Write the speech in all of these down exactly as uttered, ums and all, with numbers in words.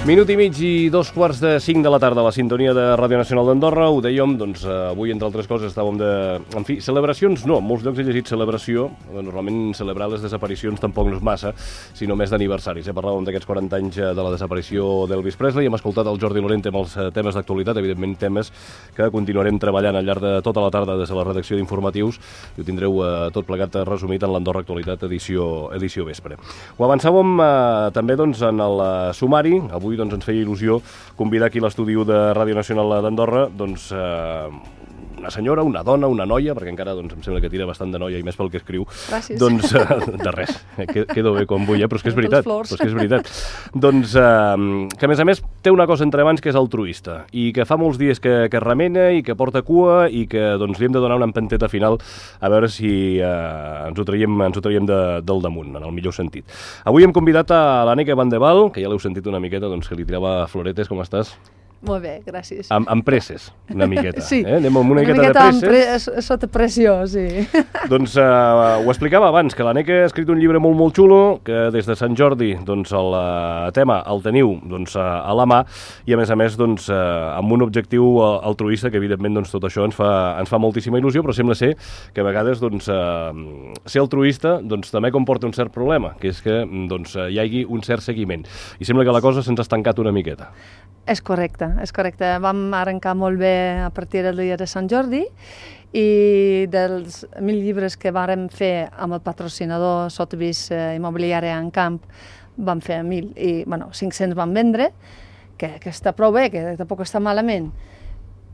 Minut i mig i dos quarts de cinc de la tarda a la sintonia de Ràdio Nacional d'Andorra. Ho dèiem, doncs, avui, entre altres coses, estàvem de... En fi, celebracions no, en molts llocs he llegit celebració. Normalment celebrar les desaparicions tampoc no és massa, sinó més d'aniversaris. Eh? Parlàvem d'aquests quaranta anys de la desaparició d'Elvis Presley. Hem escoltat el Jordi Lorente amb els temes d'actualitat, evidentment temes que continuarem treballant al llarg de tota la tarda des de la redacció d'informatius, i ho tindreu eh, tot plegat resumit en l'Andorra Actualitat edició, edició vespre. Ho avançàvem eh, també doncs, en el sumari. Avui doncs, ens feia il·lusió convidar aquí a l'estudi de Ràdio Nacional d'Andorra doncs, eh, una senyora, una dona, una noia, perquè encara doncs, em sembla que tira bastant de noia i més pel que escriu. Gràcies. Doncs, eh, de res, quedo bé com vull, eh? Però és que és veritat. Però és que és veritat. Doncs, eh, que a més a més té una cosa entre mans que és altruista i que fa molts dies que, que remena i que porta cua i que doncs, li hem de donar una empenteta final a veure si eh, ens ho traiem, ens ho traiem de, del damunt, en el millor sentit. Avui hem convidat a l'Anneke Van de Val, que ja l'heu sentit una miqueta, doncs, que li tirava floretes. Com estàs? Molt bé, gràcies. Amb, amb presses, una miqueta. Sí, eh? Anem amb una, una miqueta, miqueta de presses. Pre sota pressió, sí. Doncs eh, ho explicava abans, que l'Anneke ha escrit un llibre molt, molt xulo, que des de Sant Jordi doncs, el uh, tema el teniu doncs, uh, a la mà, i a més a més doncs, uh, amb un objectiu uh, altruista, que evidentment doncs, tot això ens fa, ens fa moltíssima il·lusió, però sembla ser que a vegades doncs, uh, ser altruista doncs, també comporta un cert problema, que és que doncs, uh, hi hagi un cert seguiment. I sembla que la cosa se'ns ha estancat una miqueta. És correcte, és correcte. Vam arrencar molt bé a partir del dia de Sant Jordi i dels mil llibres que vàrem fer amb el patrocinador Sotheby's eh, Immobiliària en Camp, vam fer mil i, bueno, cinc-cents van vendre, que, que està prou bé, que tampoc està malament.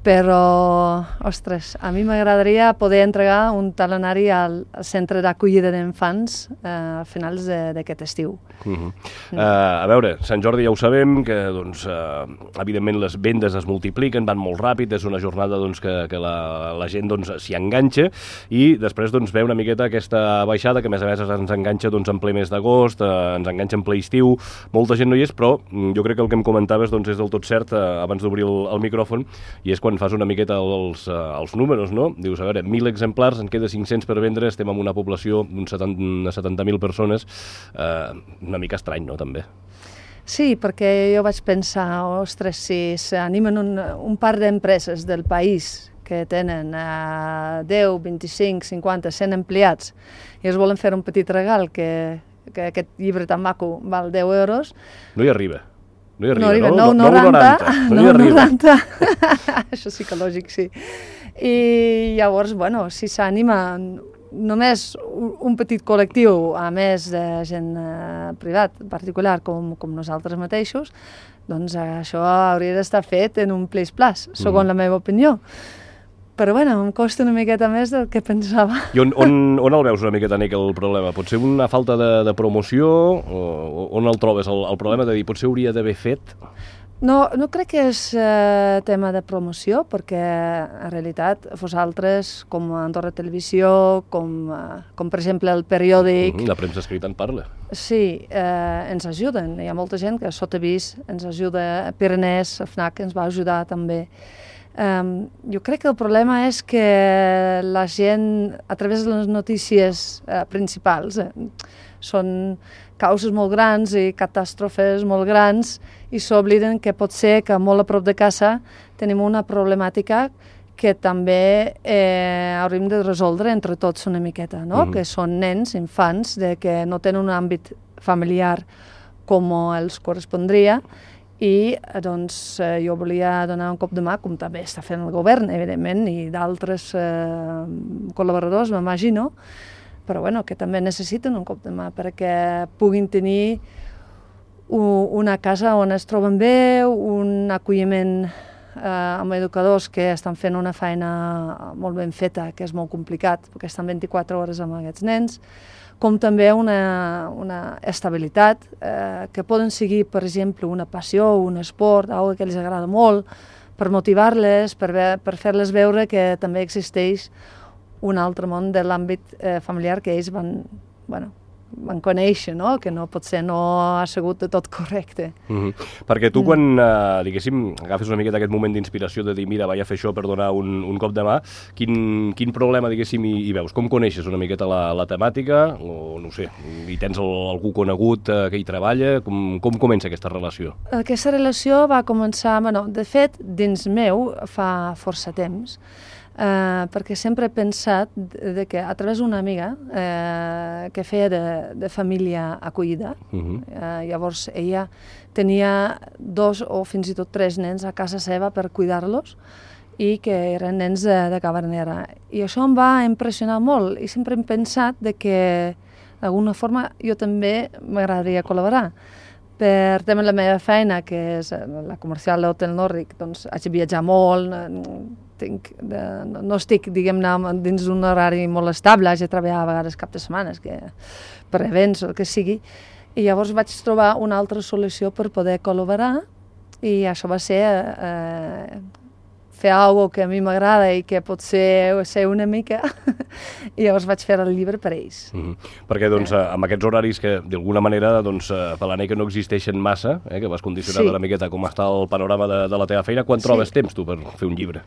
Però, ostres, a mi m'agradaria poder entregar un talonari al, al centre d'acollida d'infants eh, a finals d'aquest estiu. Uh -huh. uh, a veure, Sant Jordi ja ho sabem, que doncs, uh, evidentment les vendes es multipliquen, van molt ràpid, és una jornada doncs, que, que la, la gent doncs, s'hi enganxa i després doncs, ve una miqueta aquesta baixada que a més a més ens enganxa doncs, en ple mes d'agost, uh, ens enganxa en ple estiu, molta gent no hi és, però jo crec que el que em comentaves doncs, és del tot cert uh, abans d'obrir el, el micròfon, i és quan fas una miqueta els, uh, els números, no? Dius, a veure, mil exemplars, en queda cinc-cents per vendre, estem amb una població d'uns setanta mil persones, uh, una mica estrany, no?, també. Sí, perquè jo vaig pensar, ostres, si s'animen un, un par d'empreses del país que tenen uh, deu, vint-i-cinc, cinquanta, cent empleats i es volen fer un petit regal, que, que aquest llibre tan maco val deu euros... No hi arriba. No hi arriba, no? Arriba, no? nou coma noranta. No hi arriba. Això sí que lògic, sí. I llavors, bueno, si s'anima només un petit col·lectiu, a més de gent eh, privat, particular, com, com nosaltres mateixos, doncs això hauria d'estar fet en un plis-plas, segons mm. la meva opinió. Però, bueno, em costa una miqueta més del que pensava. I on, on, on el veus una miqueta, Nick, el problema? Pot ser una falta de, de promoció? O on el trobes, el, el problema de dir potser hauria d'haver fet? No, no crec que és eh, tema de promoció, perquè en realitat vosaltres, com Andorra Televisió, com, eh, com per exemple el periòdic... Mm, la premsa escrita en parla. Sí, eh, ens ajuden. Hi ha molta gent que Sotheby's ens ajuda, Pyrenees, FNAC ens va ajudar també. Um, jo crec que el problema és que la gent, a través de les notícies eh, principals, eh, són causes molt grans i catàstrofes molt grans i s'obliden que pot ser que molt a prop de casa tenim una problemàtica que també eh, hauríem de resoldre entre tots una miqueta, no? Mm-hmm. Que són nens, infants, de que no tenen un àmbit familiar com els correspondria. I doncs, eh, jo volia donar un cop de mà, com també està fent el govern, evidentment, i d'altres eh, col·laboradors, m'imagino, però bueno, que també necessiten un cop de mà perquè puguin tenir u- una casa on es troben bé, un acolliment eh, amb educadors que estan fent una feina molt ben feta, que és molt complicat, perquè estan vint-i-quatre hores amb aquests nens, com també una, una estabilitat, eh, que poden seguir, per exemple, una passió, un esport, alguna que els agrada molt, per motivar-les, per, ve, per fer-les veure que també existeix un altre món de l'àmbit eh, familiar que ells van, bueno, van conèixer, no? Que no potser no ha sigut de tot correcte. Mm-hmm. Perquè tu, quan, eh, diguéssim, agafes una miqueta aquest moment d'inspiració de dir, mira, vaig a fer això per donar un, un cop de mà, quin, quin problema, diguéssim, hi, hi veus? Com coneixes una miqueta la, la temàtica? O, no sé, hi tens el, algú conegut eh, que hi treballa? Com, com comença aquesta relació? Aquesta relació va començar, bueno, de fet, dins meu fa força temps, Uh, perquè sempre he pensat de, de que a través d'una amiga uh, que feia de, de família acollida, uh-huh. uh, llavors ella tenia dos o fins i tot tres nens a casa seva per cuidar-los i que eren nens de, de Cavernera. I això em va impressionar molt i sempre hem pensat de que d'alguna forma jo també m'agradaria col·laborar. Per tema de la meva feina, que és la comercial de l'Hotel Nòrdic, doncs haig de viatjar molt, tinc de, no estic, diguem-ne, dins d'un horari molt estable, haig de treballar a vegades cap de setmanes, que, per events o el que sigui, i llavors vaig trobar una altra solució per poder col·laborar, i això va ser eh, fer alguna cosa que a mi m'agrada i que pot ser, ser una mica, i llavors vaig fer el llibre per ells. Mm-hmm. Perquè doncs, eh. amb aquests horaris que d'alguna manera doncs, per l'Anei que no existeixen massa, eh, que vas condicionar sí. una miqueta com està el panorama de, de la teva feina, quan sí. trobes temps tu per fer un llibre?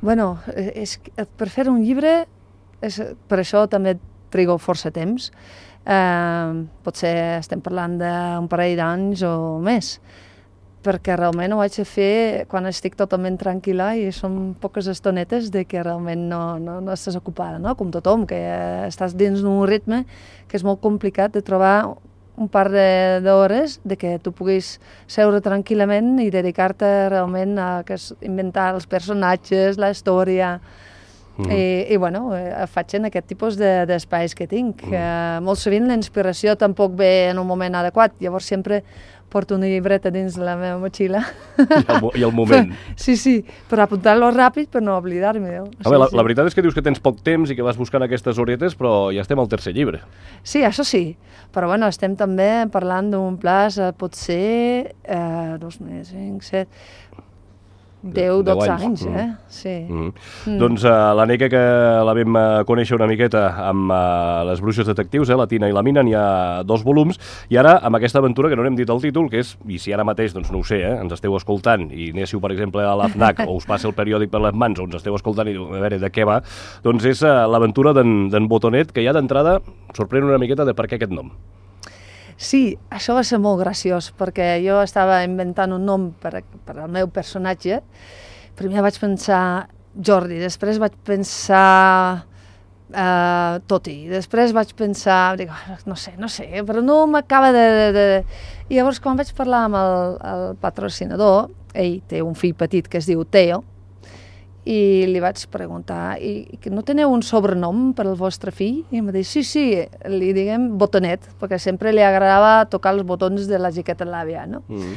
Bueno, és, per fer un llibre, és, per això també trigo força temps. Eh, potser estem parlant d'un parell d'anys o més, perquè realment ho haig de fer quan estic totalment tranquil·la i són poques estonetes de que realment no, no, no estàs ocupada, no? Com tothom, que estàs dins d'un ritme que és molt complicat de trobar un par d'hores de, de que tu puguis seure tranquil·lament i dedicar-te realment a que inventar els personatges, la història. Mm. I, i bueno, faig en aquest tipus d'espais de, que tinc. Mm. Uh, molt sovint la inspiració tampoc ve en un moment adequat, llavors sempre porto una llibreta dins de la meva motxilla. I el, i el moment. Sí, sí, per apuntar-lo ràpid per no oblidar-me. A veure, la, sí. la veritat és que dius que tens poc temps i que vas buscant aquestes horietes, però ja estem al tercer llibre. Sí, això sí, però bueno, estem també parlant d'un plaç, potser eh, dos més, cinc, set... deu, dotze anys, eh? Sí. Mm. Mm. Doncs uh, la Neca, que la vam uh, conèixer una miqueta amb uh, les bruixes detectius, eh, la Tina i la Mina, n'hi ha dos volums, i ara amb aquesta aventura, que no n'hem dit el títol, que és, i si ara mateix, doncs no ho sé, eh, ens esteu escoltant i anéssiu, per exemple, a la FNAC o us passa el periòdic per les mans o ens esteu escoltant i diu, a veure, de què va? Doncs és uh, l'aventura d'en Botonet, que ja d'entrada sorprèn una miqueta de per què aquest nom. Sí, això va ser molt graciós, perquè jo estava inventant un nom per, per al meu personatge. Primer vaig pensar Jordi, després vaig pensar uh, Toti, després vaig pensar, dic, no sé, no sé, però no m'acaba de, de, de... I llavors, quan vaig parlar amb el, el patrocinador, ell té un fill petit que es diu Teo, i li vaig preguntar, i que no teniu un sobrenom per al vostre fill? I em va dir, sí, sí, li diguem Botonet, perquè sempre li agradava tocar els botons de la jaqueta de l'àvia, no? Mm.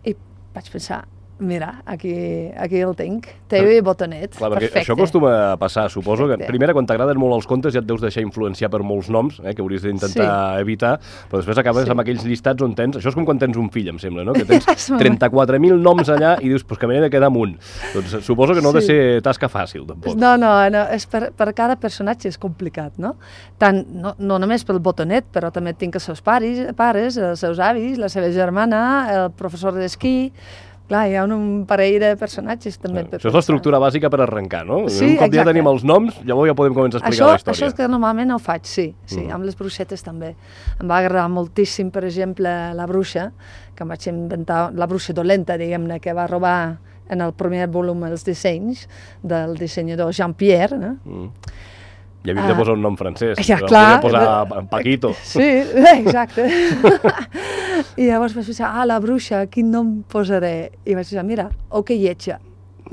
I vaig pensar, mira, aquí, aquí el tinc, Teo i Botonet, clar, perfecte. Això acostuma a passar, suposo, perfecte. Que primera, quan t'agraden molt els contes, ja et deus deixar influenciar per molts noms, eh, que hauries d'intentar sí. evitar, però després acabes sí. amb aquells llistats on tens... Això és com quan tens un fill, em sembla, no? Que tens trenta-quatre mil noms allà i dius, pues que m'he de quedar amb un. Doncs suposo que no ha sí. de ser tasca fàcil, tampoc. No, no, no és per, per cada personatge és complicat, no? Tant, no, no només pel Botonet, però també tinc els seus pares, pares, els seus avis, la seva germana, el professor d'esquí... Clar, hi ha un, un parell de personatges també. Això és l'estructura bàsica per arrencar, no? Sí, un cop exacte. Ja tenim els noms, llavors ja podem començar a explicar això, la història. Això és que normalment ho faig, sí, sí, mm. amb les bruixetes també. Em va agradar moltíssim, per exemple, la bruixa, que em vaig inventar, la bruixa dolenta, diguem-ne, que va robar en el primer volum els dissenys del dissenyador Jean-Pierre, no? Mm. I havíem de posar un nom francès, ja, clar, podem posar Paquito. Sí, exacte. I llavors vaig pensar, ah, la bruixa, quin nom posaré? I vaig pensar, mira, o que lletja.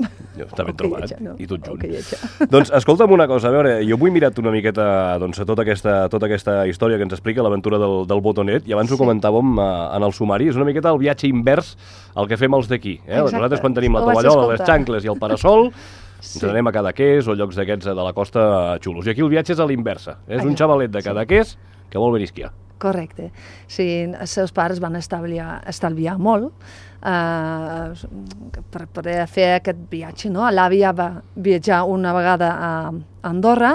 Està ben trobat, lletja, no? I tot junt. Okay, doncs escolta'm una cosa, a veure, jo m'ho he mirat una miqueta doncs, tota, aquesta, tota aquesta història que ens explica l'aventura del, del Botonet, i abans sí. ho comentàvem uh, en el sumari, és una miqueta el viatge invers al que fem els d'aquí. Eh? Nosaltres quan tenim la tovallola, les xancles i el parasol, sí. ens anem a Cadaqués o llocs d'aquests de la costa xulos. I aquí el viatge és a l'inversa. És un xavalet de Cadaqués que vol venir a esquiar. Correcte. Sí, els seus pares van estalviar, estalviar molt uh, per poder fer aquest viatge, no? L'àvia va viatjar una vegada a Andorra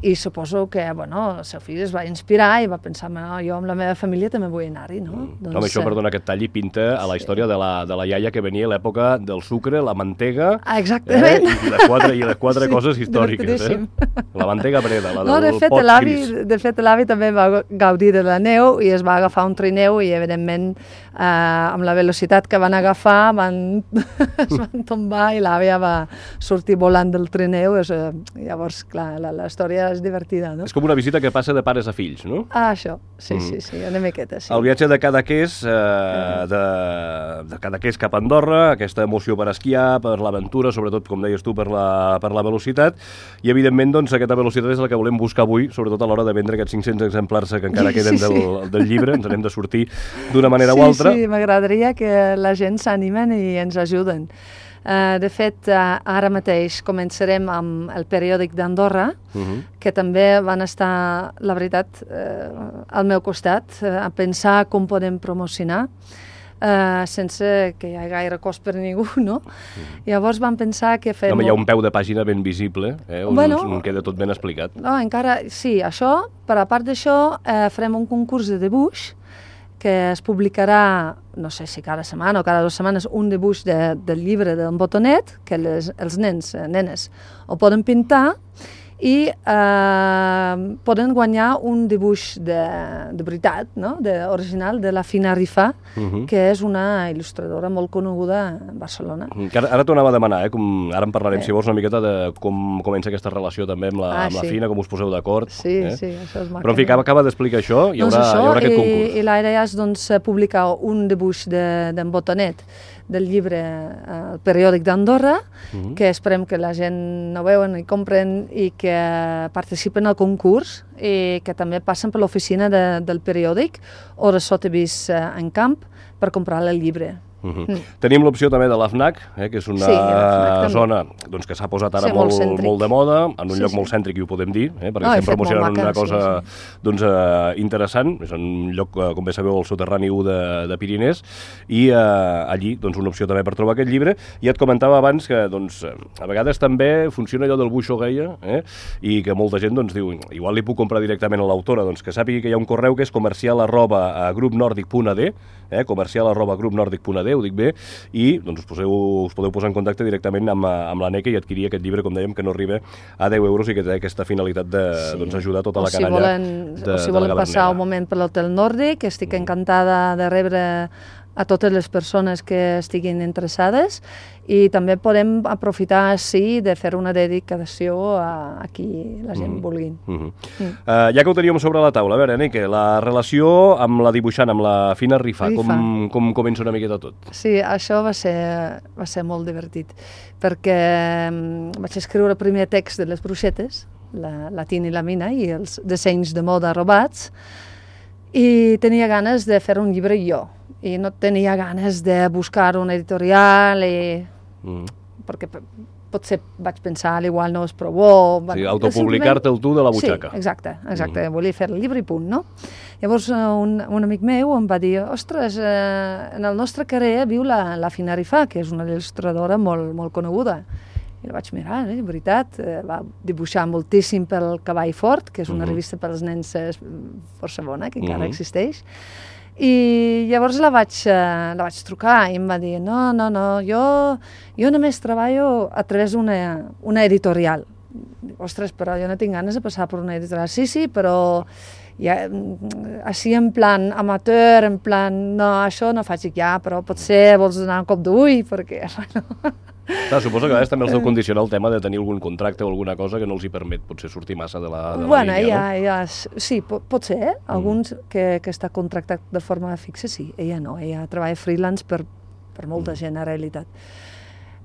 i suposo que, bueno, el seu fill es va inspirar i va pensar, no, jo amb la meva família també vull anar-hi, no? Mm. Doncs, Home, això, perdona, aquest tall i pinta a la història sí. de, la, de la iaia que venia a l'època del sucre, la mantega... Ah, exactament. Eh, I les quatre, i les quatre sí, coses històriques, eh? La mantega breda, la no, del de fet, pot gris. De fet, l'avi també va gaudir de la neu i es va agafar un trineu i, evidentment, eh, amb la velocitat que van agafar, van, es van tombar i l'àvia va sortir volant del trineu. És, eh, llavors, clar, la, la història és divertida, no? És com una visita que passa de pares a fills, no? Ah, això, sí, mm. sí, sí, una miqueta, sí. El viatge de Cadaqués, eh, de, de Cadaqués cap a Andorra, aquesta emoció per esquiar, per l'aventura, sobretot, com deies tu, per la, per la velocitat, i evidentment, doncs, aquesta velocitat és la que volem buscar avui, sobretot a l'hora de vendre aquests cinc-cents exemplars que encara queden sí, sí. Del, del llibre, ens n'hem de sortir d'una manera sí, o altra. Sí, sí, m'agradaria que la gent s'animen i ens ajuden. Uh, de fet, uh, ara mateix començarem amb el periòdic d'Andorra, uh -huh. que també van estar, la veritat, uh, al meu costat, uh, a pensar com podem promocionar, uh, sense que hi hagi gaire cost per ningú, no? Uh -huh. Llavors vam pensar que fem... Home, hi ha un peu de pàgina ben visible, eh, on, bueno, on queda tot ben explicat. No, encara, sí, això, però a part d'això, uh, farem un concurs de dibuix, que es publicarà, no sé si cada setmana o cada dues setmanes, un dibuix de, del llibre d'en Botonet, que les, els nens, nenes, ho poden pintar, i eh, poden guanyar un dibuix de, de veritat, no? de, original, de la Fina Rifà, uh -huh. que és una il·lustradora molt coneguda a Barcelona. Que ara ara t'ho anava a demanar, eh? com, ara en parlarem, eh. si vols, una miqueta de com comença aquesta relació també amb la, ah, amb la sí. Fina, com us poseu d'acord. Sí, eh? sí, això és maco. Però en fi, acaba, acaba d'explicar això, hi haurà, doncs això, hi haurà aquest i, concurs. I la idea és doncs, publicar un dibuix d'en de, Botonet, del llibre El periòdic d'Andorra, uh -huh. que esperem que la gent no veuen i compren i que participen al concurs i que també passen per l'oficina de, del periòdic o de Sotheby's en camp per comprar el llibre. Uh -huh. mm. Tenim l'opció també de la FNAC, eh, que és una sí, zona doncs, que s'ha posat ara sí, molt, molt, molt de moda, en un sí, lloc sí. molt cèntric, i ho podem dir, eh, perquè no, estem promocionant una cosa sí, sí. Doncs, uh, interessant. És un lloc, uh, com bé sabeu, al soterrani u de, de Pirinès, i uh, allí doncs, una opció també per trobar aquest llibre. I et comentava abans que doncs, a vegades també funciona allò del buixo gaia, eh, i que molta gent doncs, diu, igual li puc comprar directament a l'autora, doncs, que sàpiga que hi ha un correu que és comercial arroba grupnordic punt a d, eh, comercial arroba grupnordic punt a d, ho dic bé, i doncs, us, poseu, us podeu posar en contacte directament amb, amb l'Aneca i adquirir aquest llibre, com dèiem, que no arriba a deu euros i que té aquesta finalitat de sí. doncs, ajudar tota la canalla. O si volen, de, o si volen passar un moment per l'Hotel Nòrdic, estic encantada de rebre a totes les persones que estiguin interessades, i també podem aprofitar, sí, de fer una dedicació a, a qui la gent mm -hmm. vulgui. Mm -hmm. mm. Uh, ja que ho teníem sobre la taula, a veure, Aneca, la relació amb la dibuixant, amb la Fina Rifà, Rifà. Com, com comença una miqueta tot? Sí, això va ser, va ser molt divertit, perquè um, vaig escriure el primer text de les bruixetes, la, la Tina i la Mina, i els dissenys de moda robats, i tenia ganes de fer un llibre jo, i no tenia ganes de buscar un editorial, i... mm. perquè potser vaig pensar, igual no és prou bo... Sí, autopublicar-te el tu de la butxaca. Sí, exacte, exacte, mm. volia fer el llibre i punt, no? Llavors un, un amic meu em va dir, ostres, eh, en el nostre carrer viu la, la Fina Rifà, que és una il·lustradora molt, molt coneguda. I la vaig mirar, eh, de veritat, eh, va dibuixar moltíssim pel Cavall Fort, que és una mm-hmm. revista pels nens eh, força bona, que encara mm-hmm. existeix. I llavors la vaig, eh, la vaig trucar i em va dir, no, no, no, jo, jo només treballo a través d'una una editorial. Dic, ostres, però jo no tinc ganes de passar per una editorial. Sí, sí, però ja, així en plan amateur, en plan, no, això no faig ja, però potser vols donar un cop d'ull, perquè... Bueno, clar, suposo que a vegades també els deu condicionar el tema de tenir algun contracte o alguna cosa que no els hi permet potser sortir massa de la, de la bueno, línia, ja, no? Ja, sí, pot, pot ser, eh? Alguns mm. que, que està contractat de forma fixa, sí. Ella no, ella treballa freelance per, per molta mm. gent, en realitat.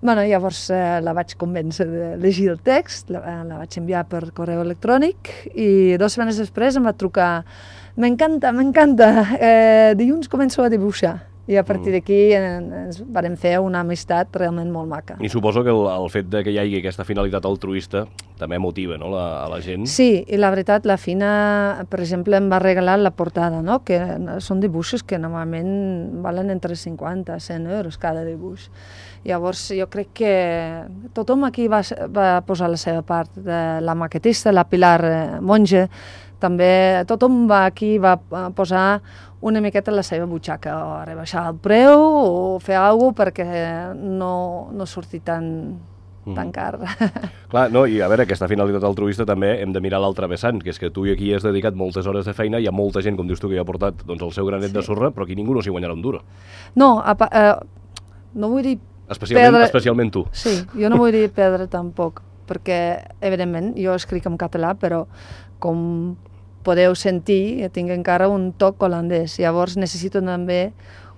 Bueno, llavors eh, la vaig convèncer de llegir el text, la, la vaig enviar per correu electrònic, i dues setmanes després em va trucar, m'encanta, m'encanta, eh, dilluns començo a dibuixar. I a partir d'aquí ens vam fer una amistat realment molt maca. I suposo que el, el fet de que hi hagi aquesta finalitat altruista també motiva, no?, la, a la gent. Sí, i la veritat, la Fina, per exemple, em va regalar la portada, no?, que són dibuixos que normalment valen entre cinquanta a cent euros cada dibuix. Llavors, jo crec que tothom aquí va, va posar la seva part, de la maquetista, la Pilar Monge, també tothom va aquí va posar una miqueta la seva butxaca, o rebaixar el preu o fer alguna cosa perquè no, no surti tan, mm. tan car. Clar, no, i a veure, aquesta finalitat altruista també hem de mirar l'altre vessant, que és que tu i aquí has dedicat moltes hores de feina, hi ha molta gent, com dius tu, que hi ha portat doncs, el seu granet sí. de sorra, però aquí ningú no s'hi guanyarà un duro. No, apa, eh, no vull dir especialment, perdre... especialment tu. Sí, jo no vull dir perdre tampoc, perquè, evidentment, jo escric en català, però com podeu sentir, tinc encara un toc holandès. Llavors necessito també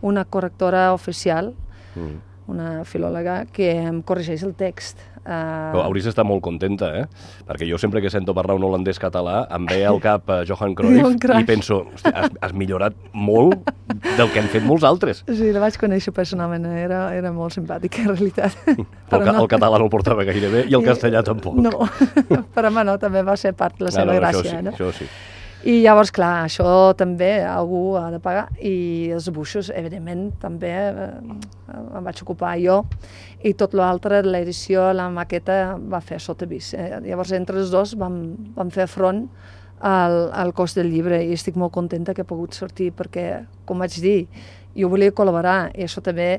una correctora oficial, mm. una filòloga, que em corregeix el text. Uh... Però hauries d'estar molt contenta, eh? Perquè jo sempre que sento parlar un holandès català em ve al cap uh, Johan Cruyff i penso, hosti, has, has millorat molt del que han fet molts altres. Sí, la vaig conèixer personalment, era, era molt simpàtica en realitat. Però el, no... el català no el portava gaire bé i el castellà tampoc. No, però home, no, també va ser part de la seva no, no, gràcia. Això sí, no? això sí. I llavors, clar, això també algú ha de pagar, i els dibuixos, evidentment, també eh, em vaig ocupar jo, i tot l'altre, l'edició, la maqueta, va fer Sotheby's. Eh? Llavors, entre els dos vam, vam fer front al, al cost del llibre, i estic molt contenta que he pogut sortir, perquè, com vaig dir, jo volia col·laborar, i això també,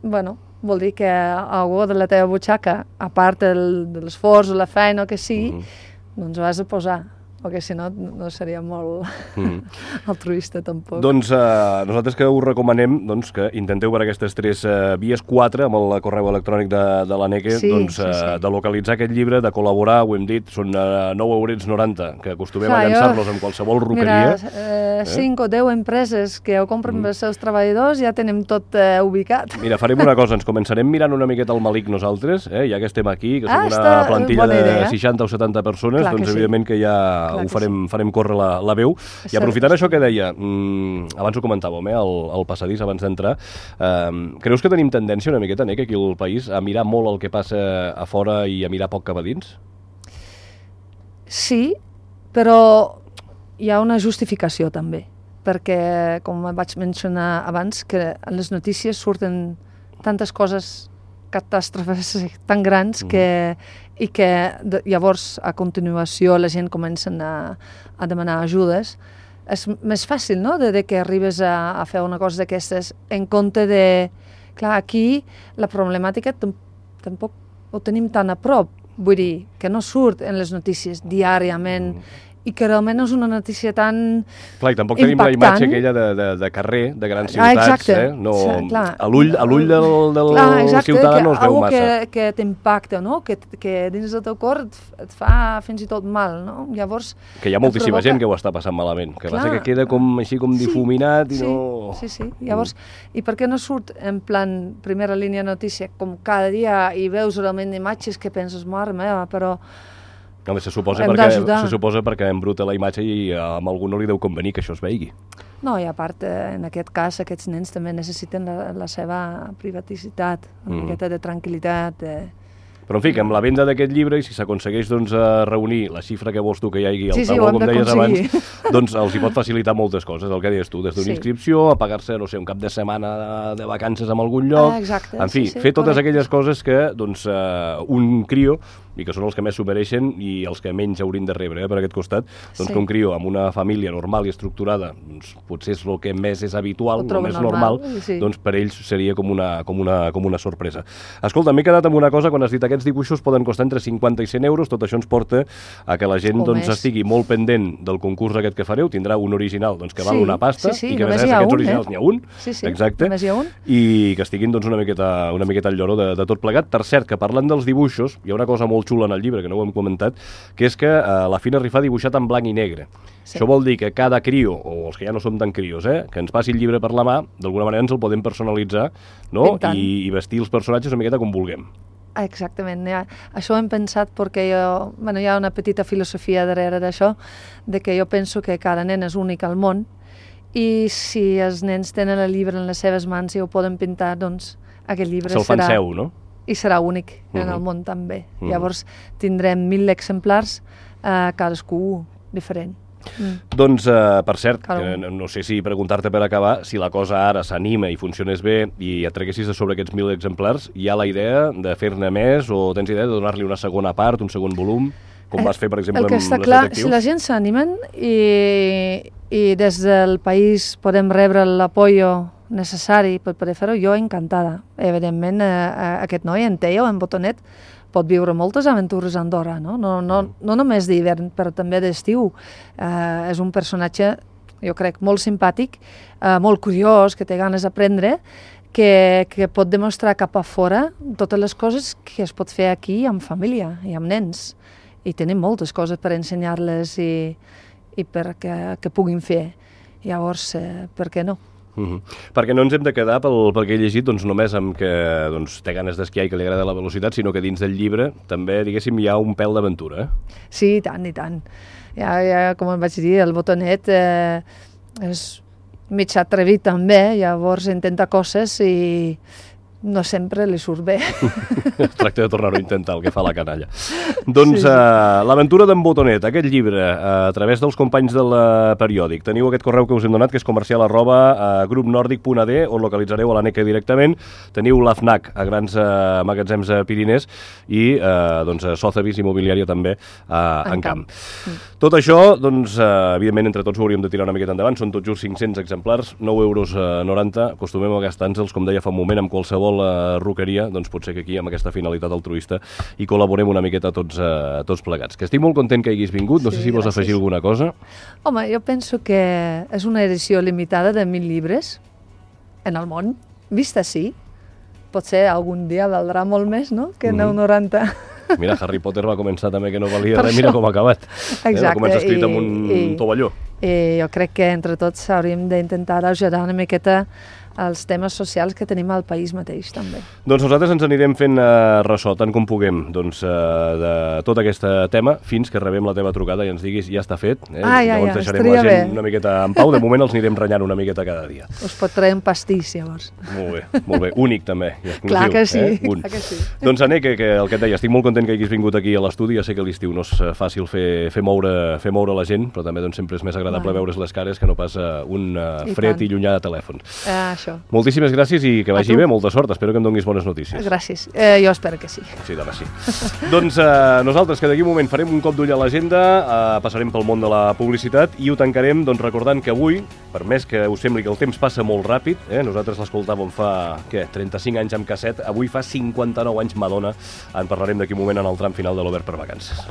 bueno, vol dir que algú de la teva butxaca, a part del, de l'esforç o la feina o que sigui, mm-hmm. doncs ho has de posar, perquè si no, no seria molt mm. altruista tampoc. Doncs eh, nosaltres que us recomanem doncs, que intenteu per aquestes tres eh, vies, quatre, amb el correu electrònic de, de l'Aneke, sí, doncs, sí, sí. Eh, de localitzar aquest llibre, de col·laborar, ho hem dit, són eh, nou eurets noranta, que acostumem Clar, a llançar-los en qualsevol roqueria. Mira, eh, cinc eh? o deu empreses que ho compren mm. pels seus treballadors, ja tenim tot eh, ubicat. Mira, farem una cosa, ens començarem mirant una miqueta el Malik nosaltres, eh, ja que estem aquí, que ah, som una plantilla de idea. seixanta o setanta persones, Clar doncs que evidentment sí. que ja Clar ho farem, sí. farem córrer la, la veu. I aprofitant això que deia, mmm, abans ho comentàvem, eh, el, el passadís, abans d'entrar, eh, creus que tenim tendència una miqueta, Nek, aquí al país, a mirar molt el que passa a fora i a mirar poc cap a dins? Sí, però hi ha una justificació també, perquè, com vaig mencionar abans, que en les notícies surten tantes coses, catàstrofes tan grans, mm. que, i que de, llavors, a continuació, la gent comença a, a demanar ajudes. És més fàcil, no?, de, de que arribes a, a fer una cosa d'aquestes en compte de... Clar, aquí la problemàtica tampoc ho tenim tan a prop, vull dir, que no surt en les notícies diàriament, mm. i que realment és una notícia tan Clar, i tampoc impactant. Tenim la imatge aquella de, de, de carrer, de grans ah, ciutats, eh? No, sí, a l'ull del, del clar, ciutadà no es veu massa. Que, que t'impacta, no? Que, que dins del teu cor et, et fa fins i tot mal, no? Llavors... Que hi ha moltíssima provoca... gent que ho està passant malament, que clar, passa que queda com així com difuminat sí, i sí, no... Sí, sí, llavors, mm. i per què no surt en plan primera línia notícia, com cada dia, i veus realment imatges que penses, mare meva, però... No, se suposa, perquè, se suposa perquè embruta la imatge i a algú no li deu convenir que això es veigui. No, i a part, en aquest cas, aquests nens també necessiten la, la seva privaticitat, una mm. miqueta de tranquil·litat. De... Però, en fi, que amb la venda d'aquest llibre, i si s'aconsegueix doncs, reunir la xifra que vols tu que hi hagi al sí, sí, tabó, com deies abans, doncs els hi pot facilitar moltes coses, el que deies tu, des d'una sí. inscripció, a pagar-se, no sé, un cap de setmana de vacances en algun lloc, ah, exacte, en fi, sí, sí, fer totes correcte. aquelles coses que doncs, uh, un crio, i que són els que més s'ho mereixen i els que menys haurien de rebre, eh, per aquest costat, doncs sí. que un crio amb una família normal i estructurada, doncs potser és el que més és habitual, el més normal, normal sí. doncs per ells seria com una, com, una, com una sorpresa. Escolta, m'he quedat amb una cosa, quan has dit aquests dibuixos poden costar entre cinquanta i cent euros, tot això ens porta a que la gent doncs, estigui molt pendent del concurs aquest que fareu, tindrà un original doncs, que val sí, una pasta, sí, sí, i que a més un, aquests originals eh? n'hi ha un, sí, sí, exacte, només hi ha un. I que estiguin doncs, una, miqueta, una miqueta al lloro de, de tot plegat. Per cert, que parlant dels dibuixos, hi ha una cosa molt xula en el llibre, que no ho hem comentat, que és que eh, la Fina Rifà ha dibuixat en blanc i negre. Sí. Això vol dir que cada crio, o els que ja no som tan crios, eh, que ens passi el llibre per la mà, d'alguna manera ens el podem personalitzar, no? I, i vestir els personatges una miqueta com vulguem. Exactament, ja. Això ho hem pensat perquè jo, bueno, hi ha una petita filosofia darrere d'això, de que jo penso que cada nen és únic al món i si els nens tenen el llibre en les seves mans i ho poden pintar, doncs aquest llibre Se'l fan serà... seu, no? I serà únic uh -huh. en el món també. Uh -huh. Llavors tindrem mil exemplars, eh, cadascú diferent. Mm. Doncs, uh, per cert, que no sé si preguntar-te per acabar, si la cosa ara s'anima i funcionés bé i et treguessis de sobre aquests mil exemplars, hi ha la idea de fer-ne més o tens idea de donar-li una segona part, un segon volum, com vas fer, per exemple, amb les detectius? El que està clar, si la gent s'animen i, i des del país podem rebre l'apoyo necessari per poder fer-ho, jo encantada. Evidentment, eh, aquest noi, en Teo, en Botonet, pot viure moltes aventures a Andorra, no? No, no, no només d'hivern, però també d'estiu. Eh, és un personatge, jo crec, molt simpàtic, eh, molt curiós, que té ganes d'aprendre, que, que pot demostrar cap a fora totes les coses que es pot fer aquí amb família i amb nens. I tenim moltes coses per ensenyar-les i, i perquè que puguin fer. Llavors, eh, per què no? Uh -huh. Perquè no ens hem de quedar pel, pel que he llegit doncs, només amb que doncs, té ganes d'esquiar i que li agrada la velocitat, sinó que dins del llibre també, diguéssim, hi ha un pèl d'aventura. Eh? Sí, i tant, i tant. Ja, ja, com em vaig dir, el Botonet eh, és mig atrevit també, llavors intenta coses i no sempre li surt bé. Es tracta de tornar-ho a intentar, el que fa la canalla. Doncs sí, sí. Uh, l'aventura d'en Botonet, aquest llibre, uh, a través dels companys del uh, periòdic. Teniu aquest correu que us hem donat, que és comercial arroba uh, grupnordic punt a d, on localitzareu a l'A N E C A directament. Teniu l'A F N A C a grans uh, magatzems a Pirinès i uh, doncs, a Sotheby's Immobiliària també uh, en, en camp. camp. Mm. Tot això, doncs, uh, evidentment, entre tots ho hauríem de tirar una miqueta endavant. Són tot just cinc-cents exemplars, nou euros noranta. Acostumem a gastar-nos, com deia fa un moment, amb qualsevol la roqueria, doncs pot ser que aquí amb aquesta finalitat altruista hi col·laborem una miqueta tots, eh, tots plegats. Que estic molt content que hagis vingut, no sí, sé si vols gràcies. afegir alguna cosa. Home, jo penso que és una edició limitada de mil llibres en el món, vist així. Potser algun dia valdrà molt més, no?, que nou noranta. Mira, Harry Potter va començar també que no valia res, mira com ha acabat. Exacte. Eh? Va començar escrit amb un i, tovalló. I jo crec que entre tots hauríem d'intentar ajudar una miqueta els temes socials que tenim al país mateix, també. Doncs nosaltres ens anirem fent uh, ressò, tant com puguem, doncs, uh, de tot aquest tema, fins que rebem la teva trucada i ens diguis ja està fet. Eh? Ah, ja, Llavors ja, deixarem estaria la gent bé. una miqueta en pau. De moment els anirem renyant una miqueta cada dia. Us pot traure un pastís, llavors. Molt bé, molt bé. Únic, també. Clar que sí, eh? clar que sí. Doncs, Ané, que, que el que et deia, estic molt content que hagis vingut aquí a l'estudi. Ja sé que l'estiu no és fàcil fer, fer, moure, fer moure la gent, però també doncs, sempre és més agradable veure's les cares que no pas uh, un uh, fred i, i llunyà de telèfon. Uh, això. Moltíssimes gràcies. Gràcies i que vagi bé, molta sort. Espero que em donis bones notícies. Gràcies. Eh, jo espero que sí. Sí, demà sí. Doncs eh, nosaltres, que d'aquí un moment farem un cop d'ull a l'agenda, eh, passarem pel món de la publicitat i ho tancarem doncs, recordant que avui, per més que us sembli que el temps passa molt ràpid, eh, nosaltres l'escoltàvem fa, què, trenta-cinc anys amb casset, avui fa cinquanta-nou anys Madonna. En parlarem d'aquí un moment en el tram final de l'Obert per Vacances.